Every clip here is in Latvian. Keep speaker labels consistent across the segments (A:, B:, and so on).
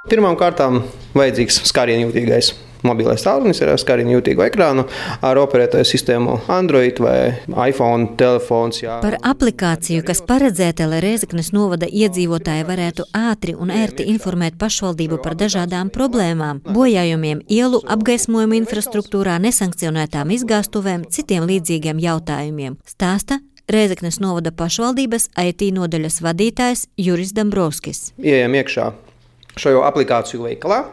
A: Pirmām kārtām vajadzīgs skārienjūtīgais mobilais tālrunis ar skārienjūtīgu ekrānu, ar operētāju sistēmu Android vai iPhone telefons. Jā.
B: Par aplikāciju, kas paredzēta, lai Rēzeknes novada iedzīvotāji varētu ātri un ērti informēt pašvaldību par dažādām problēmām, bojājumiem ielu, apgaismojuma infrastruktūrā, nesankcionētām izgāstuvēm, citiem līdzīgiem jautājumiem, stāsta Rēzeknes novada pašvaldības IT nodaļas vadītājs Juris Dambrovskis.
A: Ieejam iekšā šo aplikāciju veikalā.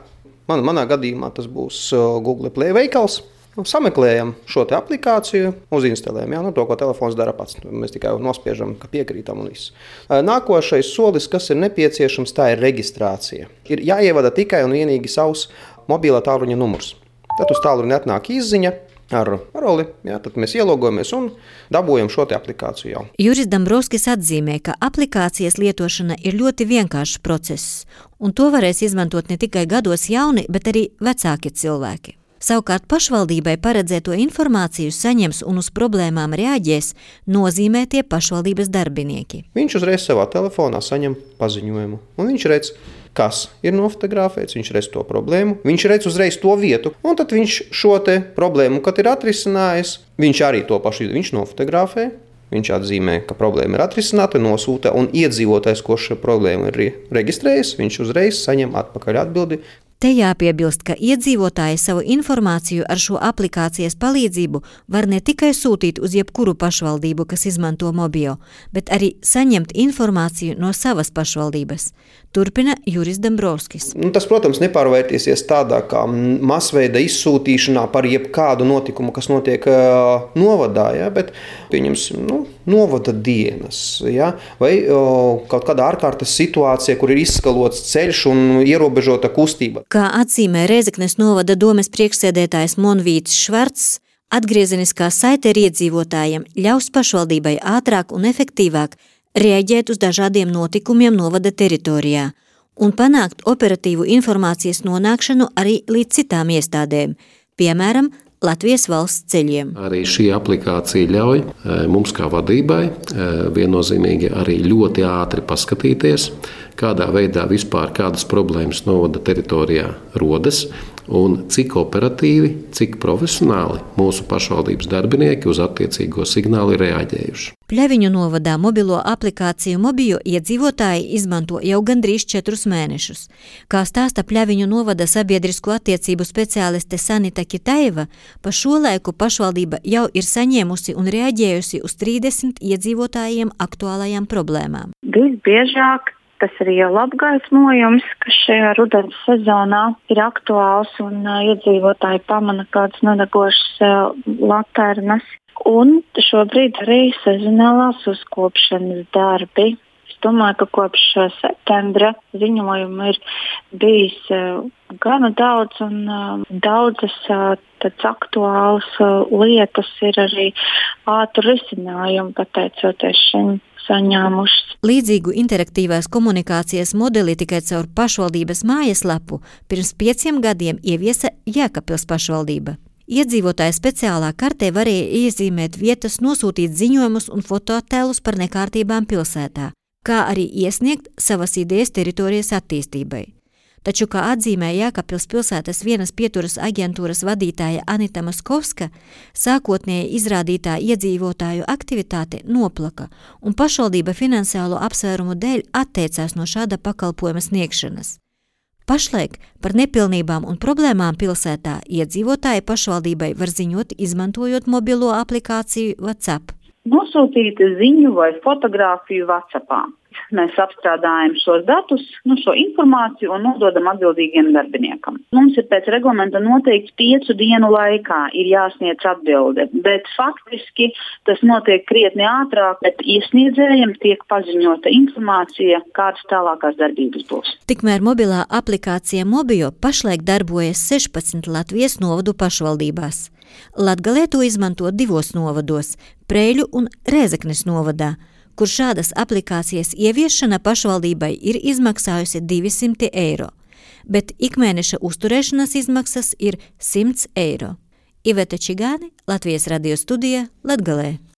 A: Manā gadījumā tas būs Google Play veikals. Sameklējam šo te aplikāciju, uzinstalējam to, ko telefons dara pats. Mēs tikai nospiežam, ka piekrītam un viss. Nākošais solis, kas ir nepieciešams, tā ir reģistrācija. Ir jāievada tikai un vienīgi savs mobilā tālruņa numurs. Tad uz tālruņa atnāk izziņa ar paroli, tad mēs ielogojamies un dabūjam šo te aplikāciju jau.
B: Juris Dambrovskis atzīmē, ka aplikācijas lietošana ir ļoti vienkāršs process, un to varēs izmantot ne tikai gados jauni, bet arī vecāki cilvēki. Savukārt pašvaldībai paredzēto informāciju saņems un uz problēmām reaģēs nozīmētie pašvaldības darbinieki.
A: Viņš uzreiz savā telefonā saņem paziņojumu, un viņš redz, kas ir nofotografēts, viņš redz to problēmu, viņš redz uzreiz to vietu, un tad viņš šo te problēmu, kad ir atrisinājis, viņš arī to pašu, viņš nofotografē, viņš atzīmē, ka problēma ir atrisināta, nosūta, un iedzīvotājs, ko šo problēmu ir reģistrējis, viņš uzreiz saņem atpakaļ atbildi.
B: Te jāpiebilst, ka iedzīvotāji savu informāciju ar šo aplikācijas palīdzību var ne tikai sūtīt uz jebkuru pašvaldību, kas izmanto Mobio, bet arī saņemt informāciju no savas pašvaldības. Turpina Juris Dambrovskis.
A: Tas, protams, nepārvērtīsies tādā kā masveida izsūtīšanā par jebkādu notikumu, kas notiek novadā, bet pieņemsim, novada dienas, vai kaut kāda ārkārtas situācija, kur ir izskalots ceļš un ierobežota kustība.
B: Kā atzīmē Rēzeknes novada domes priekšsēdētājs Monvīts Švarcs, atgriezeniskā saite ar iedzīvotājiem ļaus pašvaldībai ātrāk un efektīvāk reaģēt uz dažādiem notikumiem novada teritorijā un panākt operatīvu informācijas nonākšanu arī līdz citām iestādēm, piemēram, Latvijas valsts ceļiem.
C: Arī šī aplikācija ļauj mums kā vadībai viennozīmīgi arī ļoti ātri paskatīties, kādā veidā vispār kādas problēmas novada teritorijā rodas un cik operatīvi, cik profesionāli mūsu pašvaldības darbinieki uz attiecīgo signālu ir reaģējuši.
B: Pļaviņu novadā mobilo aplikāciju Mobio iedzīvotāji izmanto jau gandrīz 4 mēnešus. Kā stāsta Pļaviņu novada sabiedrisko attiecību speciāliste Sanita Kitaiva, pa šo laiku pašvaldība jau ir saņēmusi un reaģējusi uz 30 iedzīvotājiem aktuālajām problēmām.
D: Visbiežāk tas ir ielu apgaismojums, kas šajā rudens sezonā ir aktuāls un iedzīvotāji pamana kādas nedegošas laternas. Un šobrīd arī sezonālās uzkopšanas darbi. Es domāju, ka kopš septembra ziņojumu ir bijis gana daudz un daudzas tāds aktuālas lietas ir arī ātri risinājumi, pateicoties šim saņēmušas.
B: Līdzīgu interaktīvās komunikācijas modeli tikai caur pašvaldības mājaslapu pirms 5 gadiem ieviesa Jēkabpils pašvaldība. Iedzīvotāji speciālā kartē varēja iezīmēt vietas, nosūtīt ziņojumus un fotoattēlus par nekārtībām pilsētā, kā arī iesniegt savas idejas teritorijas attīstībai. Taču, kā atzīmē Jēkabpils pilsētas vienas pieturas aģentūras vadītāja Anita Maskovska, sākotnēji izrādītā iedzīvotāju aktivitāte noplaka un pašvaldība finansiālo apsvērumu dēļ atteicās no šāda pakalpojuma sniegšanas. Pašlaik par nepilnībām un problēmām pilsētā iedzīvotāji pašvaldībai var ziņot, izmantojot mobilo aplikāciju WhatsApp.
D: Nosūtīt ziņu vai fotogrāfiju WhatsAppā. Mēs apstrādājam šos datus, šo informāciju un nododam atbildīgiem darbiniekam. Mums ir pēc reglamenta noteikts 5 dienu laikā ir jāsniedz atbilde, bet faktiski tas notiek krietni ātrāk, bet iesniedzējiem tiek paziņota informācija, kādas tālākās darbības būs.
B: Tikmēr mobilā aplikācija Mobio pašlaik darbojas 16 Latvijas novadu pašvaldībās. Latgalē to izmanto 2 novados – Preiļu un Rēzeknes novadā, kur šādas aplikācijas ieviešana pašvaldībai ir izmaksājusi 200 eiro, bet ikmēneša uzturēšanas izmaksas ir 100 eiro. Iveta Čigāni, Latvijas radio studija, Latgalē.